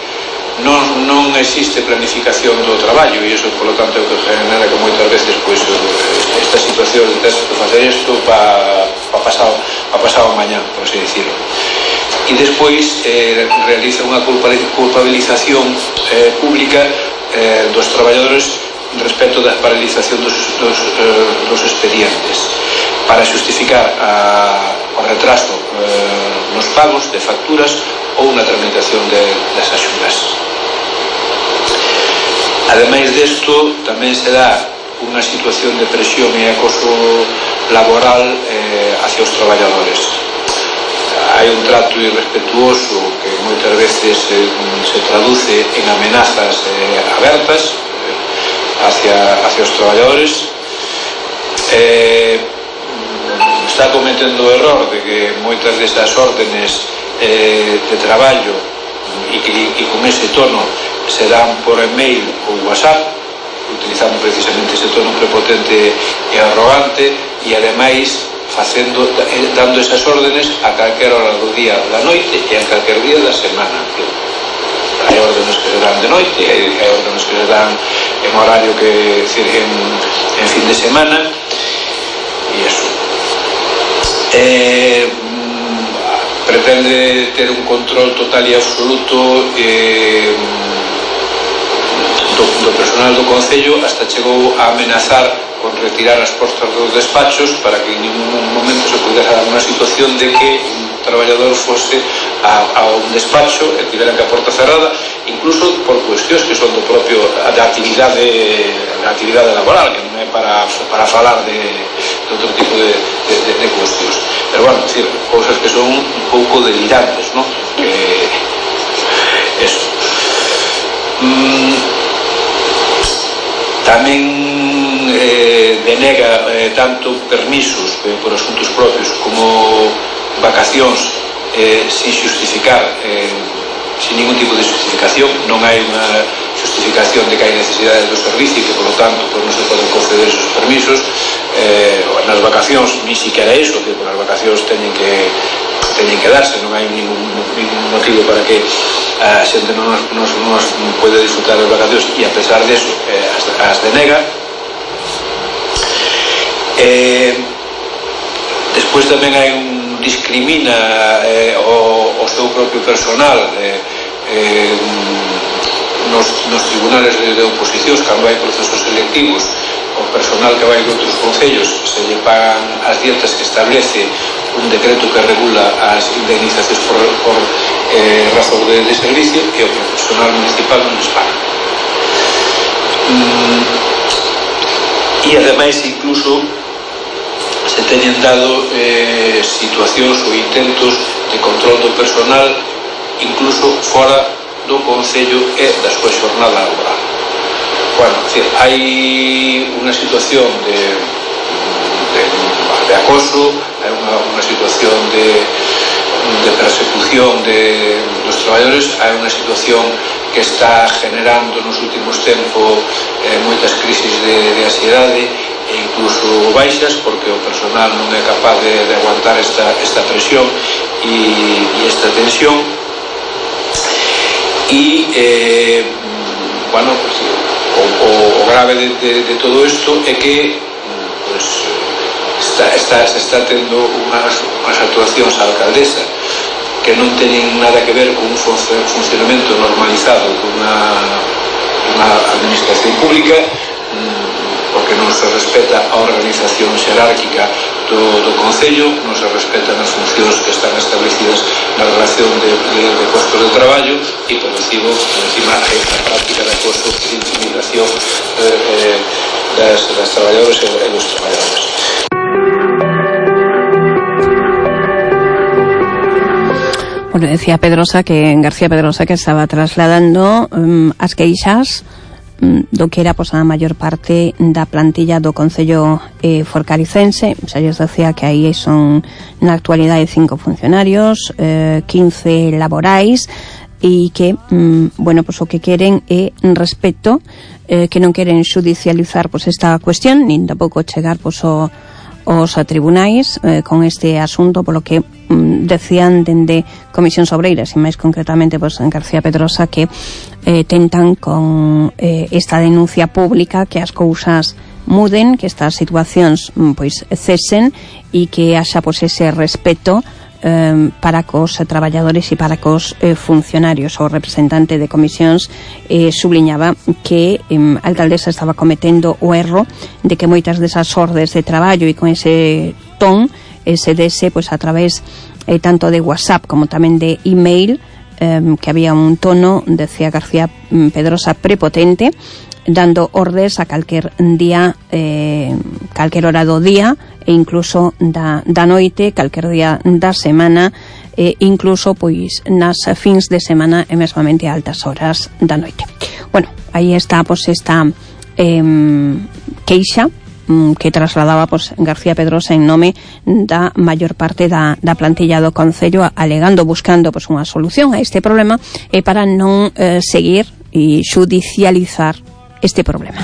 Non existe planificación do traballo, e iso, polo tanto, é o que genera que moitas veces esta situación de ter que facer isto para pasado mañá, por así decirlo. E despois realiza unha culpabilización pública dos traballadores respecto da paralización dos expedientes para xustificar o retraso nos pagos de facturas ou na tramitación das axudas. Ademais desto, tamén se dá unha situación de presión e acoso laboral hacia os traballadores. Hai un trato irrespetuoso que moitas veces se traduce en amenazas abertas hacia os traballadores. Está cometendo o error de que moitas desas órdenes de traballo e con ese tono se dan por email ou WhatsApp, utilizando precisamente ese tono prepotente e arrogante, e ademais dando esas órdenes a calquera hora do día da noite e a calquer día da semana. Hai órdenes que se dan de noite, hai órdenes que se dan en horario que en fin de semana, e eso pretende ter un control total e absoluto do personal do Concello, hasta chegou a amenazar con retirar as portas dos despachos para que en ningún momento se pudera dar unha situación de que un traballador fose a un despacho e tivera que a porta cerrada, incluso por cuestións que son da actividade laboral, que non é para falar de outro tipo de cuestións. Pero bueno, decir, cousas que son un pouco delirantes, ¿no? Eso. Tamén denega tanto permisos por asuntos propios como vacacións sin justificar, sin ningún tipo de justificación. Non hai unha justificación de que hai necesidades do servicio e que, por lo tanto, non se poden conceder esos permisos. Nas vacacións, ni siquiera eso, que as vacacións teñen que darse, non hai ningún motivo para que a xente non pode disfrutar das vacacións, e a pesar de eso as denega. Despois tamén hai discrimina o seu propio personal nos tribunales de oposicións cando hai procesos selectivos. O personal que vai de outros concellos se lle pagan as dietas que establece un decreto que regula as indemnizacións por razón de servicio, e o personal municipal non les paga. E ademais incluso se teñen dado situacións ou intentos de control do personal incluso fora do Concello e da súa xornada laboral. Bueno, hai unha situación de acoso, hai unha situación de persecución dos traballadores, hai unha situación que está generando nos últimos tempos moitas crisis de ansiedade e incluso baixas, porque o personal non é capaz de aguantar esta presión e esta tensión. E bueno, pues, o grave de todo isto é que pues, se está tendo unhas actuacións á alcaldesa que non teñen nada que ver con un funcionamento normalizado dunha administración pública, porque non se respeta a organización xerárquica do Concello, non se respetan as funcións que están establecidas na relación de postos de traballo, e por encima hai a práctica de acoso e de intimidación das traballadoras e dos traballadores. Bueno, decía García Pedrosa que estaba trasladando as queixas do que era a maior parte da plantilla do Concello forcaricense. Xa lles decía que aí son na actualidade 5 funcionarios, 15 laborais, e que, bueno, pues o que queren é respeto, que non queren xudicializar esta cuestión, nin tampouco chegar os tribunais con este asunto, polo que decían dende Comisións Obreiras, e máis concretamente en García Pedrosa, que tentan con esta denuncia pública que as cousas muden, que estas situacións cesen, e que haxa ese respeto para cos traballadores e para cos funcionarios. O representante de comisións subliñaba que a alcaldesa estaba cometendo o erro de que moitas desas ordes de traballo e con ese ton se dese pois a través tanto de WhatsApp como tamén de email, que había un tono, decía García Pedrosa, prepotente, dando ordes a calquer día, calquer hora do día e incluso da noite, calquer día da semana, incluso pois nas fins de semana e mesmamente a altas horas da noite. Bueno, aí está pois esta queixa que trasladaba pois García Pedrosa en nome da maior parte da plantilla do Concello, alegando, buscando pois unha solución a este problema para non seguir e xudicializar este problema.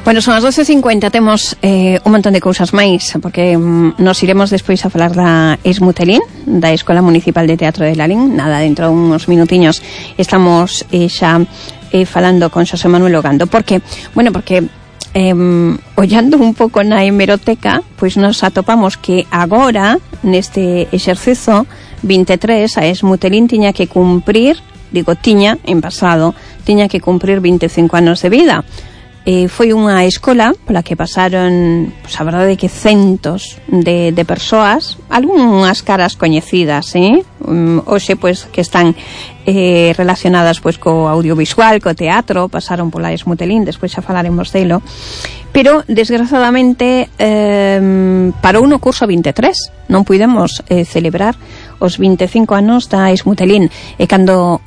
Bueno, son as 12:50, temos un montón de cousas máis, porque nos iremos despois a falar da Esmutelín, da Escola Municipal de Teatro de Lalín. Nada, dentro de uns minutiños estamos xa falando con Xosé Manuel Ogando. Porque, bueno, porque ollando un pouco na hemeroteca, pois nos atopamos que agora, neste exercizo 23, a Esmutelín tiña que cumprir, digo tiña, en pasado, tiña que cumprir 25 anos de vida. Foi unha escola pola que pasaron, pois a verdade que centos de persoas, algunhas caras coñecidas, hoxe pois que están relacionadas pois co audiovisual, co teatro, pasaron pola Esmutelín, despois xa falaremos delo, pero desgraciadamente parou no curso 23, non puidemos celebrar os 25 anos da Esmutelín, e cando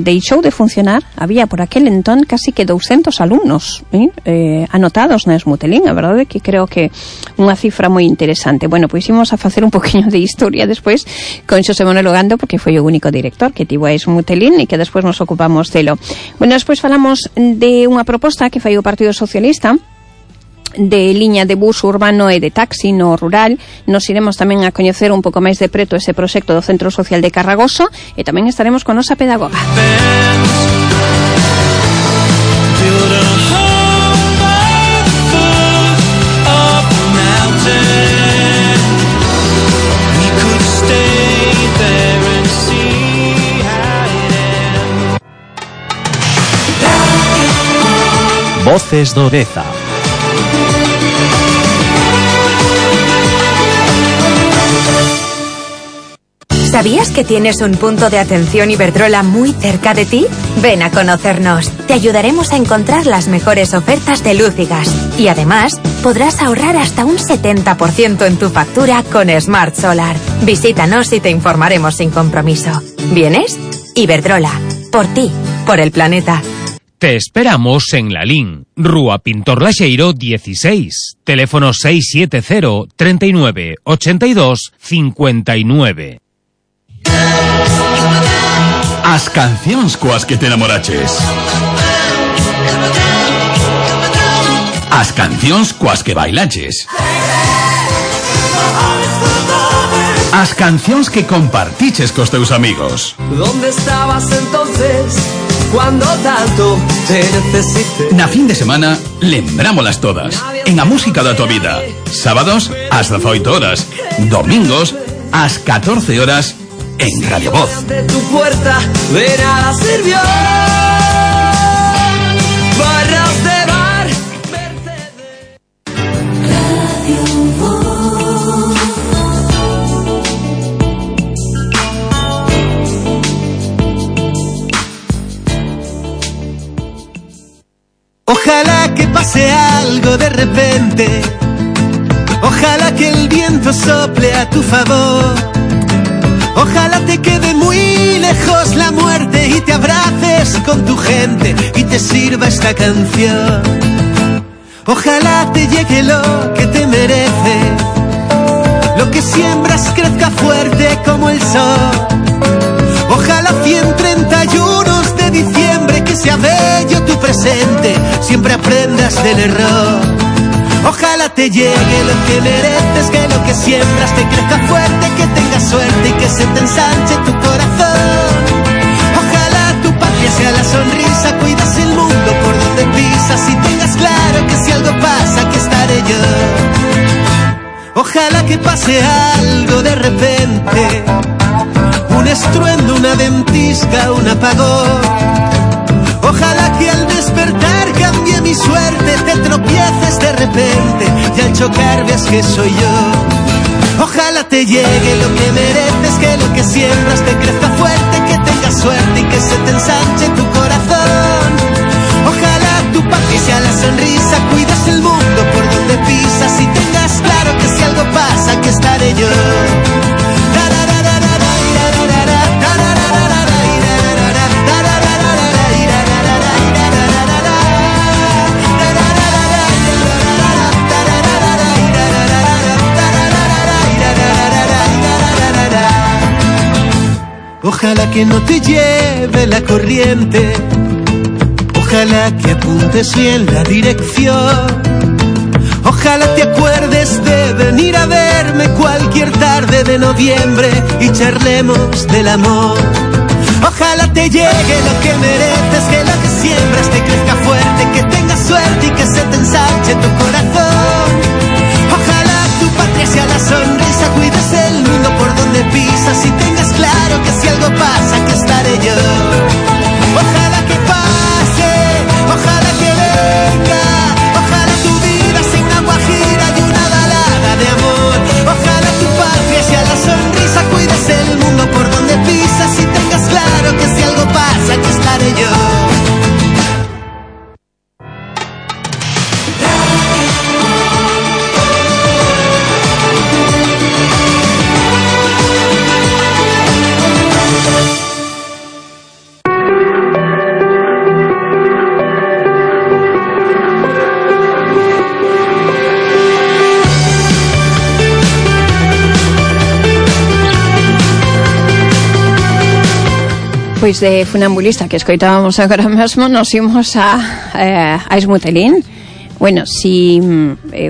deixou de funcionar había por aquel entón casi que 200 alumnos anotados na Esmutelín. A verdade que creo que unha cifra moi interesante. Bueno, pois imos a facer un poquinho de historia despois con Xosé Manuel Ogando, porque foi o único director que tivo a Esmutelín e que despois nos ocupamos delo. Bueno, despois falamos de unha proposta que fai o Partido Socialista de liña de bus urbano e de taxi no rural. Nos iremos tamén a coñecer un pouco máis de preto ese proxecto do Centro Social de Carragoso, e tamén estaremos con nosa pedagoga. Voces do Deza. ¿Sabías que tienes un punto de atención Iberdrola muy cerca de ti? Ven a conocernos. Te ayudaremos a encontrar las mejores ofertas de luz y gas. Y además, podrás ahorrar hasta un 70% en tu factura con Smart Solar. Visítanos y te informaremos sin compromiso. ¿Vienes? Iberdrola. Por ti. Por el planeta. Te esperamos en Lalín, Rúa Pintor Laxeiro 16, teléfono 670 39 82 59. As cancións coas que te enamoraches. As cancións coas que bailaches. As cancións que compartiches cos teus amigos. ¿Dónde estabas entonces cuando tanto te necesité? Na fin de semana, lembrámolas todas en A Música da Tua Vida. Sábados, ás 18 horas. Domingos, ás 14 horas en Radio Voz. De tu puerta de nada sirvió. Barras de bar, Radio Voz. Ojalá que pase algo de repente. Ojalá que el viento sople a tu favor. Ojalá te quede muy lejos la muerte y te abraces con tu gente y te sirva esta canción. Ojalá te llegue lo que te merece, lo que siembras crezca fuerte como el sol. Ojalá 131 de diciembre que sea bello tu presente, siempre aprendas del error. Ojalá te llegue lo que mereces, que lo que siembras te crezca fuerte, que tengas suerte y que se te ensanche tu corazón. Ojalá tu patria sea la sonrisa, cuidas el mundo por Ojalá que pase algo de repente, un estruendo, una ventisca, un apagón. Ojalá que al despertar cambie mi suerte, te tropieces de repente y al chocar veas que soy yo. Ojalá te llegue lo que mereces, que lo que siembras te crezca fuerte, que tengas suerte y que se te ensanche tu corazón. Ojalá tu patria sea la sonrisa, cuides el mundo por donde pisas y tengas claro que si algo pasa, aquí estaré yo. Ojalá que no te lleve la corriente, ojalá que apuntes bien la dirección. Ojalá te acuerdes de venir a verme cualquier tarde de noviembre y charlemos del amor. Ojalá te llegue lo que mereces, que lo que siembras te crezca fuerte, que tengas suerte y que se te ensanche tu corazón. Ojalá tu patria sea la sonrisa, cuides el mundo por donde pisas y tengas claro que si algo pasa, que estaré yo. Ojalá que pase, ojalá que venga, ojalá tu vida sea una guajira y una balada de amor. Ojalá tu patria sea la sonrisa, cuides el mundo por donde pisas y tengas claro que si algo pasa, que estaré yo. Pois de funambulista que escoitábamos agora mesmo nos imos a Esmutelín. Bueno, si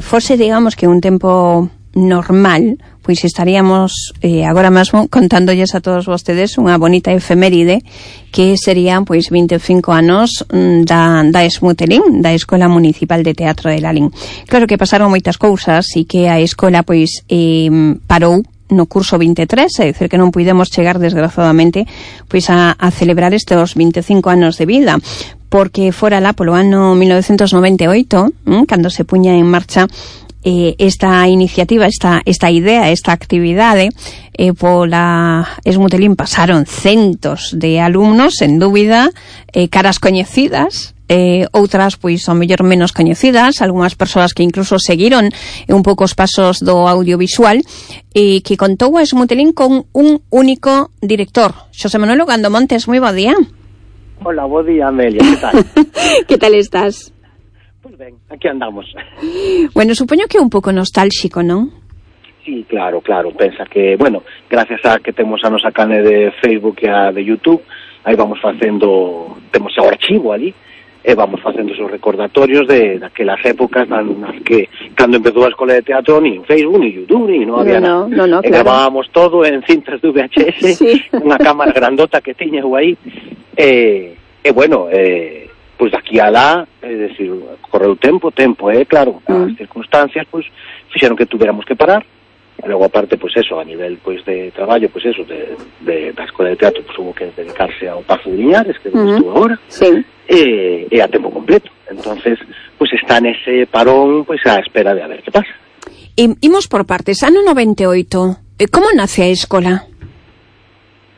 fose, digamos, que un tempo normal, pois estaríamos agora mesmo contándolles a todos vostedes unha bonita efeméride que serían pois 25 anos da Esmutelín, da Escola Municipal de Teatro de Lalín. Claro que pasaron moitas cousas e que a escola pois parou no curso 23, é dicir que non puidemos chegar desgraciadamente pois a celebrar estes 25 anos de vida, porque fora lá polo ano 1998, cando se puña en marcha esta iniciativa, esta idea, esta actividade, pola Esmutelín pasaron centos de alumnos, sen dúbida, caras coñecidas, outras pois ao mellor menos coñecidas, algunhas persoas que incluso seguiron un pouco os pasos do audiovisual, e que contou a Esmutelín con un único director, Xosé Manuel Ogando Montes. Moi bo día. Hola, bo día, Amelia, que tal? Que tal estás? Pois ben, aquí andamos. Bueno, supoño que é un pouco nostálxico, non? Sí, claro, pensa que, bueno, gracias a que temos a nosa canle de Facebook e a de YouTube, aí vamos facendo, temos o archivo ali, e vamos facendo esos recordatorios de daquelas épocas nas que cando empezou a escola de teatro ni Facebook, ni YouTube, ni non había nada. No, claro. Gravábamos todo en cintas de VHS, sí. Unha cámara grandota que tiña aí, bueno, pois daqui a lá, é dicir, correu tempo, claro, as circunstancias, pois, fixeron que tuviéramos que parar, e logo aparte, pois eso, a nivel, pois, de traballo, pois eso, da escola de teatro, pois, hubo que dedicarse ao Pazo de Liñares, que estuvo agora, sí. E a tempo completo. Entonces, pois está nese parón, pois a espera de a ver que pasa. Imos por partes. Ano 98, como nace a escola?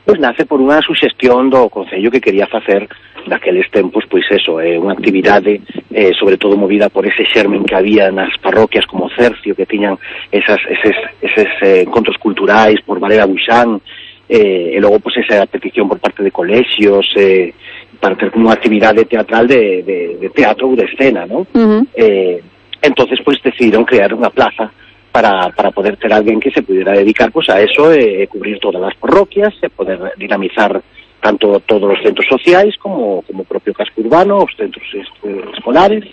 Pois nace por unha suxestión do Concello que quería facer naqueles tempos, pois eso, unha actividade sobre todo movida por ese xermen que había nas parroquias como Cercio, que tiñan eses encontros culturais por Valera Buxán, e logo pois esa petición por parte de colexios, para ter unha actividade teatral de teatro ou de escena, non? Entonces, pois, decidiron crear unha plaza para poder ter alguén que se pudiera dedicar pois a eso, cubrir todas as parroquias, e poder dinamizar tanto todos os centros sociais como o propio casco urbano, os centros escolares,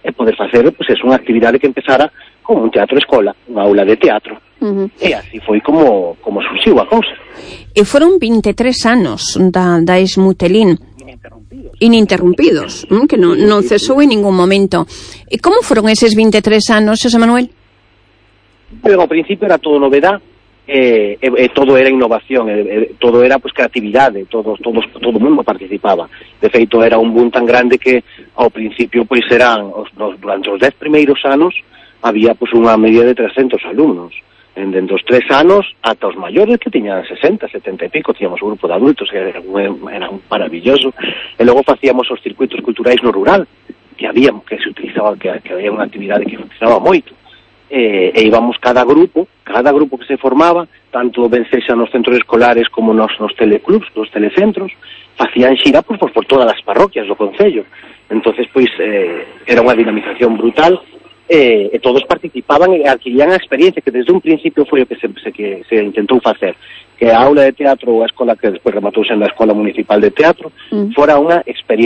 e poder facer, pois, unha actividade que empezara como un teatro escola, unha aula de teatro. E así foi como surxiu a cousa. E foron 23 anos da Esmutelín ininterrumpidos, que non cesou en ningún momento. E como foron eses 23 anos, Xosé Manuel? Pero ao principio era todo novedad, todo era innovación, todo era pues creatividade, todo o mundo participaba. De feito, era un boom tan grande que ao principio pois eran durante os 10 primeiros anos había pues unha media de 300 alumnos. Dende os 3 anos ata os maiores que tiñan 60, 70 e pico, tiñamos un grupo de adultos que era un maravilloso. E logo facíamos os circuitos culturais no rural, que se utilizaba, que había unha actividade que funcionaba moito. E íbamos cada grupo que se formaba, tanto ben sexa nos centros escolares como nos teleclubs, nos telecentros, facían xira por todas as parroquias do concello. Entonces, pois, era unha dinamización brutal, e todos participaban e adquirían a experiencia que desde un principio foi o que se intentou facer, que a aula de teatro ou a escola que despois rematou sendo a Escola Municipal de Teatro fora unha experiencia